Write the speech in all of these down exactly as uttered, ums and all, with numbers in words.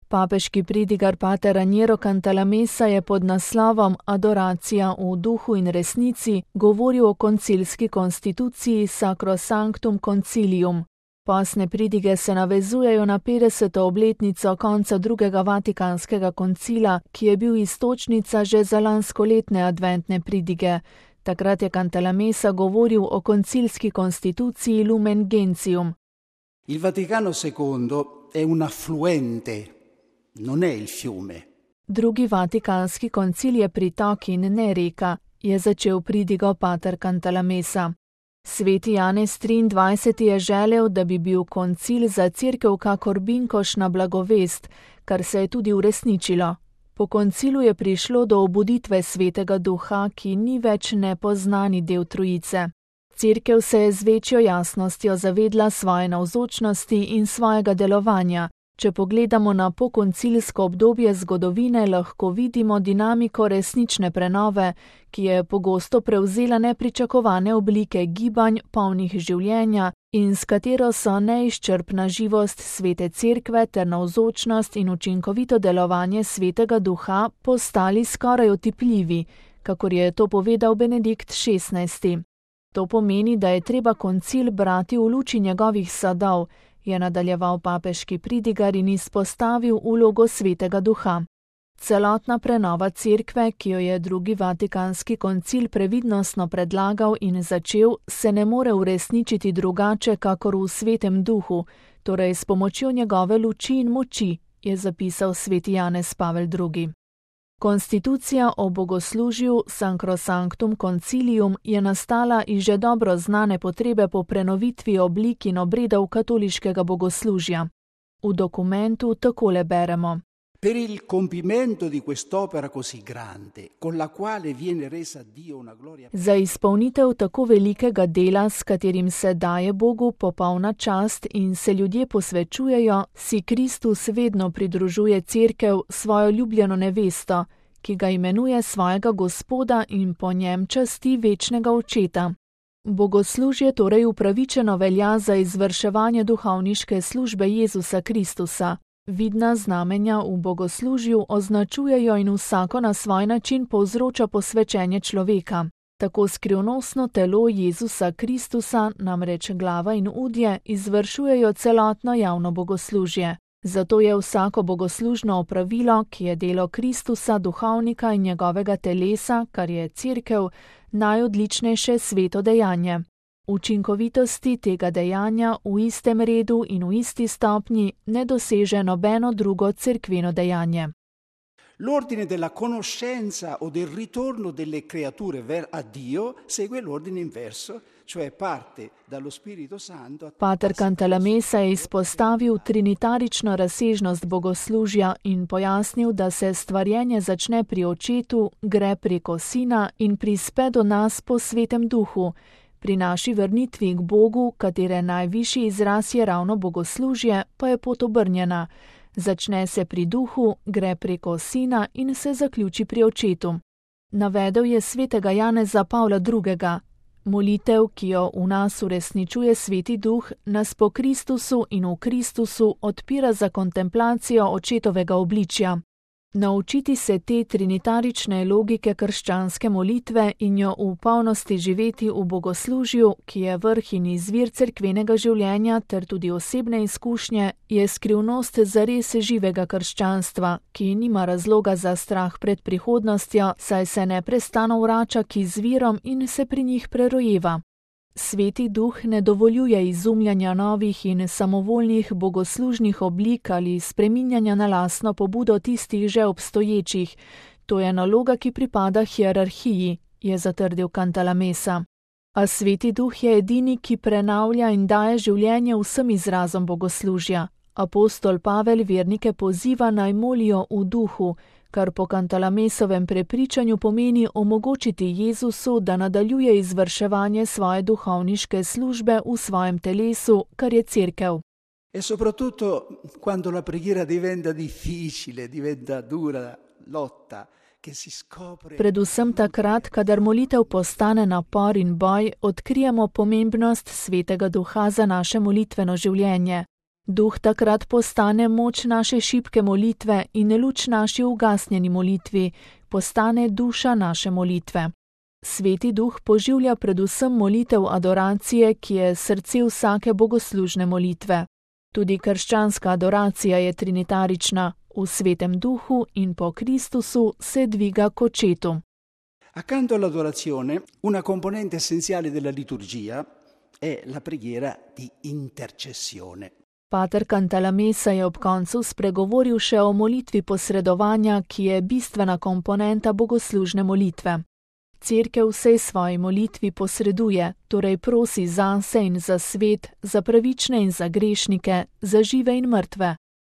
Papeški pridigar pater Raniero Cantalamessa je pod naslovom Adoracija v duhu in resnici govoril o koncilski konstituciji Sacrosanctum Concilium. Pasne pridige se navezujejo na petdeseto obletnico konca drugega vatikanskega koncila, ki je bil iztočnica že za lanskoletne adventne pridige. Takrat je Cantalamessa govoril o koncilski konstituciji Lumen Gentium. Il Vaticano secondo è un affluente, non è il fiume. Drugi vatikanski koncil je pritok in ne reka, je začel pridigo pater Cantalamessa. Sveti Janez triindvajseti je želel, da bi bil koncil za cerkev kakor binkoš na blagovest, kar se je tudi uresničilo. Po koncilu je prišlo do obuditve Svetega Duha, ki ni več nepoznani del Trojice. Cerkev se je z večjo jasnostjo zavedla svoje navzočnosti in svojega delovanja. Če pogledamo na pokoncilsko obdobje zgodovine, lahko vidimo dinamiko resnične prenove, ki je pogosto prevzela nepričakovane oblike gibanj, polnih življenja in s katero so neizčrpna živost Svete Cerkve ter navzočnost in učinkovito delovanje Svetega Duha postali skoraj otipljivi, kakor je to povedal Benedikt šestnajsti. To pomeni, da je treba koncil brati v luči njegovih sadov, je nadaljeval papeški pridigar in izpostavil vlogo Svetega Duha. Celotna prenova cerkve, ki jo je drugi vatikanski koncil previdnostno predlagal in začel, se ne more uresničiti drugače kakor v Svetem Duhu, torej s pomočjo njegove luči in moči, je zapisal sveti Janez Pavel drugi. Konstitucija o bogoslužju Sacrosanctum Concilium je nastala iz že dobro znane potrebe po prenovitvi oblik in obredov katoliškega bogoslužja. V dokumentu takole beremo. Per il compimento di quest'opera così grande, con la quale viene resa a Dio una gloria. Za izpolnitev tako velikega dela, s katerim se daje Bogu popolna čast in se ljudje posvečujejo, si Kristus vedno pridružuje cerkev svojo ljubljeno nevesto, ki ga imenuje svojega Gospoda in po njem časti večnega očeta. Bogoslužje torej upravičeno velja za izvrševanje duhovniške službe Jezusa Kristusa. Vidna znamenja v bogoslužju označujejo in vsako na svoj način povzroča posvečenje človeka. Tako skrivnostno telo Jezusa Kristusa, namreč glava in udje, izvršujejo celotno javno bogoslužje. Zato je vsako bogoslužno opravilo, ki je delo Kristusa, duhovnika in njegovega telesa, kar je cerkev, najodličnejše sveto dejanje. Učinkovitosti tega dejanja v istem redu in v isti stopnji ne doseže nobeno drugo cerkveno dejanje. L'ordine della conoscenza o del ritorno delle creature a Dio segue l'ordine inverso, cioè parte dallo Spirito Santo. Pater Cantalamessa je izpostavil trinitarično razsežnost bogoslužja in pojasnil, da se stvarjenje začne pri Očetu, gre preko Sina in prispe do nas po Svetem Duhu. Pri naši vrnitvi k Bogu, katere najvišji izraz je ravno bogoslužje, pa je pot obrnjena. Začne se pri Duhu, gre preko Sina in se zaključi pri Očetu. Navedel je svetega Janeza Pavla drugega. Molitev, ki jo v nas uresničuje Sveti Duh, nas po Kristusu in v Kristusu odpira za kontemplacijo Očetovega obličja. Naučiti se te trinitarične logike krščanske molitve in jo v polnosti živeti v bogoslužju, ki je vrh in izvir cerkvenega življenja ter tudi osebne izkušnje, je skrivnost zares živega krščanstva, ki nima razloga za strah pred prihodnostjo, saj se neprestano vrača k izvirom in se pri njih prerojeva. Sveti Duh ne dovoljuje izumljanja novih in samovoljnih bogoslužnih oblik ali spreminjanja na lastno pobudo tistih že obstoječih. To je naloga, ki pripada hierarhiji, je zatrdil Cantalamessa. A Sveti Duh je edini, ki prenavlja in daje življenje vsem izrazom bogoslužja. Apostol Pavel vernike poziva naj molijo v duhu, kar po Cantalamessovem prepričanju pomeni omogočiti Jezusu, da nadaljuje izvrševanje svoje duhovniške službe v svojem telesu, kar je cerkev. E soprattutto quando la preghiera diventa difficile, diventa dura lotta, che si scopre. Predvsem takrat, kadar molitev postane napor in boj, odkrijemo pomembnost Svetega Duha za naše molitveno življenje. Duh takrat postane moč naše šibke molitve in luč naši ugasnjeni molitvi, postane duša naše molitve. Sveti Duh poživlja predvsem molitev adoracije, ki je srce vsake bogoslužne molitve. Tudi krščanska adoracija je trinitarična, v Svetem Duhu in po Kristusu se dviga k Očetu. Accanto all'adorazione, una componente essenziale della liturgia è la preghiera di intercessione. Pater Cantalamessa je ob koncu spregovoril še o molitvi posredovanja, ki je bistvena komponenta bogoslužne molitve. Cerkev vsej svoji molitvi posreduje, torej prosi zase in za svet, za pravične in za grešnike, za žive in mrtve.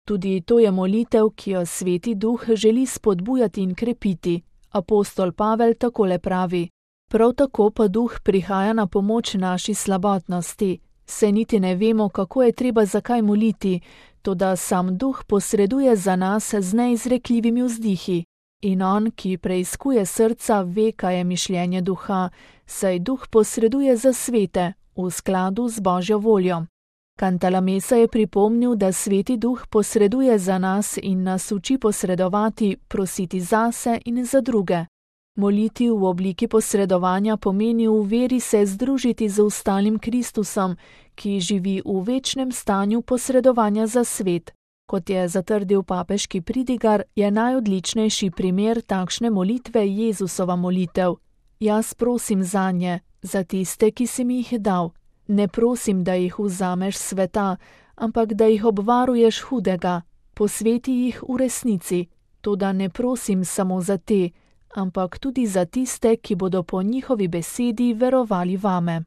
Tudi to je molitev, ki jo Sveti Duh želi spodbujati in krepiti. Apostol Pavel takole pravi: Prav tako pa Duh prihaja na pomoč naši slabotnosti. Se niti ne vemo, kako je treba zakaj moliti, toda sam Duh posreduje za nas z neizrekljivimi vzdihi. In on, ki preiskuje srca, ve, kaj je mišljenje Duha, saj Duh posreduje za svete, v skladu z Božjo voljo. Cantalamessa je pripomnil, da Sveti Duh posreduje za nas in nas uči posredovati, prositi zase in za druge. Moliti v obliki posredovanja pomeni v veri se združiti z ostalim Kristusom, ki živi v večnem stanju posredovanja za svet. Kot je zatrdil papeški pridigar, je najodličnejši primer takšne molitve Jezusova molitev. Jaz prosim zanje, za tiste, ki si mi jih dal. Ne prosim, da jih vzameš sveta, ampak da jih obvaruješ hudega. Posveti jih v resnici. Toda ne prosim samo za te, ampak tudi za tiste, ki bodo po njihovi besedi verovali vame.